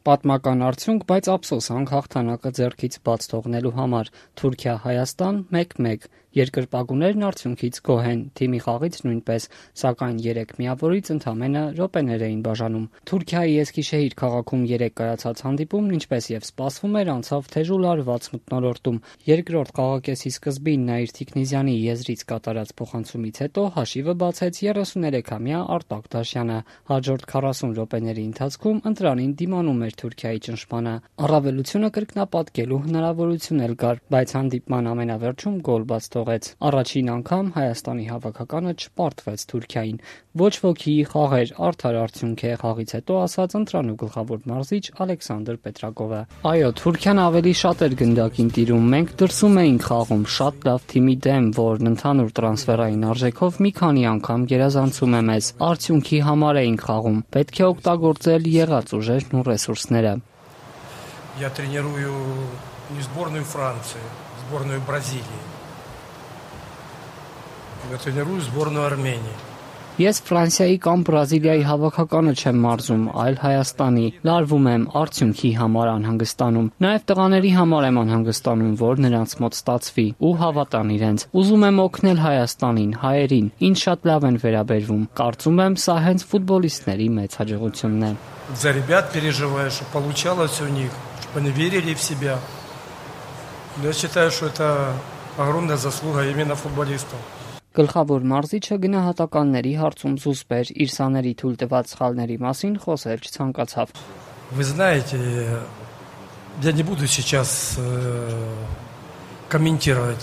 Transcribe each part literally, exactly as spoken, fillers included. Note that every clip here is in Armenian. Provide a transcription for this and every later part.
Պատմական արդյունք, բայց ափսոսանք հաղթանակը ձեռքից բաց թողնելու համար։ Թուրքիա-Հայաստան մեկ մեկ։ Երկրպագուներն արդյունքից գոհ են, թիմի խաղից նույնպես, սակայն երեք միավորից ընդամենը րոպեներ էին բաժանում։ Թուրքիայի Էսքիշեհիր քաղաքում երեկ կայացած հանդիպումն, ինչպես եւ սպասվում էր, անցավ թեժ ու լարված մթնոլորտում։ Երկրորդ խաղակեսի սկզբին Նաիր Թիքնիզյանի եզրից կատարած փոխանցումից հետո հաշիվը բացեց երեսուներեքամյա Արտակ Դաշյանը։ Հաջորդ քառասուն րոպեների ընթացքում ընտրանին դիմանում էր Թուրքիայի ճնշմանը։ Առավելությունը կրկնապատկելու հնարավորություն էլ կար, բայց հանդիպման ամենավերջում գոլ բաց թողեց։ Առաջին անգամ Հայաստանի հավաքականը չպարտվեց Թուրքիային։ Ոչ ոքի խաղեր, արդար արդյունք է, խաղից հետո ասաց ընտրանու գլխավոր մարզիչ Ալեքսանդր Պետրակովը։ Այո, Թուրքիան ավելի շատ էր գնդակին տիրում, մենք դրսում էինք խաղում շատ լավ թիմի դեմ, որն ընդհանուր տրանսֆերային արժեքով մի քանի անգամ գերազանցում է մեզ։ Արդյունքի համար էինք խաղում, պետք է օգտագործել եղած ուժերն ու ռեսուրսները։ Я тренирую не сборную Франции, сборную Бразилии. Я тренирую сборную Армении. Ես Ֆրանսիայի կամ Բրազիլիայի հավաքականը չեմ մարզում, այլ Հայաստանի։ Լարվում եմ, արդյունքի համար անհանգստանում։ Նաև տղաների համար եմ անհանգստանում, որ նրանց մոտ ստացվի ու հավատան իրենց։ Ուզում եմ օգնել Հայաստանին, հայերին, ինձ շատ լավ են վերաբերվում։ Կարծում եմ, սա հենց ֆուտբոլիստների մեծ հաջողությունն է։ За ребят переживаю, что получалось у них, чтобы они верили в себя. Я считаю, что это огромная заслуга именно футболистов. Գլխավոր մարզիչը գնահատականների հարցում զուսպ էր, իր սաների թույլ տված սխալների մասին խոսել չցանկացավ։ Вы знаете, я не буду сейчас комментировать.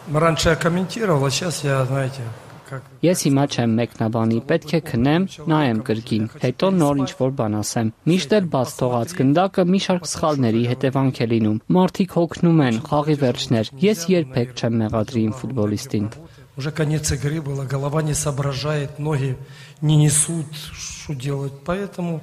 Раньше я комментировал, а сейчас я, знаете, как Ես հիմա չեմ մեկնաբանի, պետք է քնեմ, նայեմ կրկին, հետո նոր ինչ-որ բան ասեմ։ Միշտ էլ բաց թողած գնդակը մի շարք սխալների հետևանք է լինում։ Մարդիկ հոգնում են, խաղի վերջներ։ Ես երբեք չեմ մեղադրի իմ ֆուտբոլիստին։ Уже конец игры было, голова не соображает, ноги не несут, что делать. Поэтому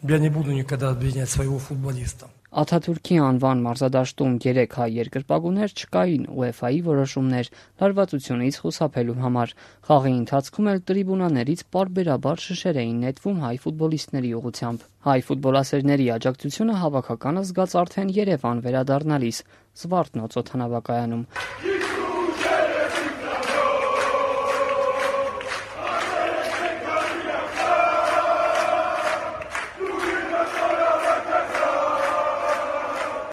я не буду никогда обвинять своего футболиста. Աթաթուրքի անվան մարզադաշտում երեք հայ երկրպագուներ չկային ՈՒԵՖԱ-ի որոշումներ լարվածությունից խուսափելու համար։ Խաղի ընթացքում էլ տրիբունաներից պարբերաբար շշեր էին նետվում հայ ֆուտբոլիստների ուղղությամբ։ Հայ ֆուտբոլասերների աջակցությունը հավաքականը զգաց արդեն Երևան վերադառնալիս Զվարթնոց օդանավակայանում։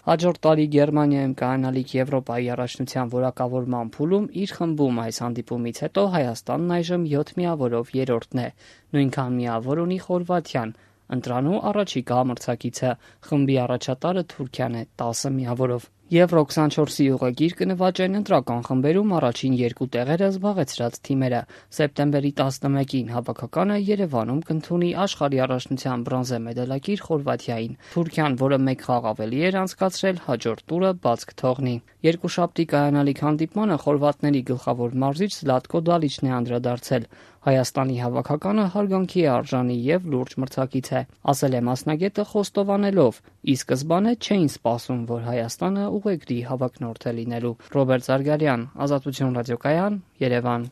Հաջորդ տարի Գերմանիայում կայանալիք Եվրոպայի առաջնության որակավորման փուլում իր խմբում այս հանդիպումից հետո Հայաստանն այժմ յոթ միավորով երրորդն է, նույնքան միավոր ունի Խորվաթիան, ընտրանու առաջիկա մրցակիցը, խմբի առաջատարը Թուրքիան է տասը միավորով։ Եվրո քսանչորսի ուղեգիր կնվաճեն ընտրական խմբերում առաջին երկու տեղերը զբաղեցրած թիմերը։ Սեպտեմբերի տասնմեկին հավաքականը Երևանում կընդունի աշխարհի առաջնության բրոնզե մեդալակիր Խորվաթիային։ Թուրքիան, որը մեկ խաղ ավելի էր անցկացրել, հաջորդ տուրը բաց կթողնի։ Երկուշաբթի կայանալիք հանդիպմանը խորվաթների գլխավոր մարզիչ Զլատկո Դալիչն է անդրադարձել։ Հայաստանի հավաքականը հարգանքի է արժանի եւ լուրջ մրցակից է, ասել է մասնագետը խոստովանելով, ի սկզբանե չէին սպասում, որ Հայաստանը ուղեգրի հավակնորդ է լինելու։ Ռոբերտ Զարգարյան, Ազատություն ռադիոկայան, Երևան։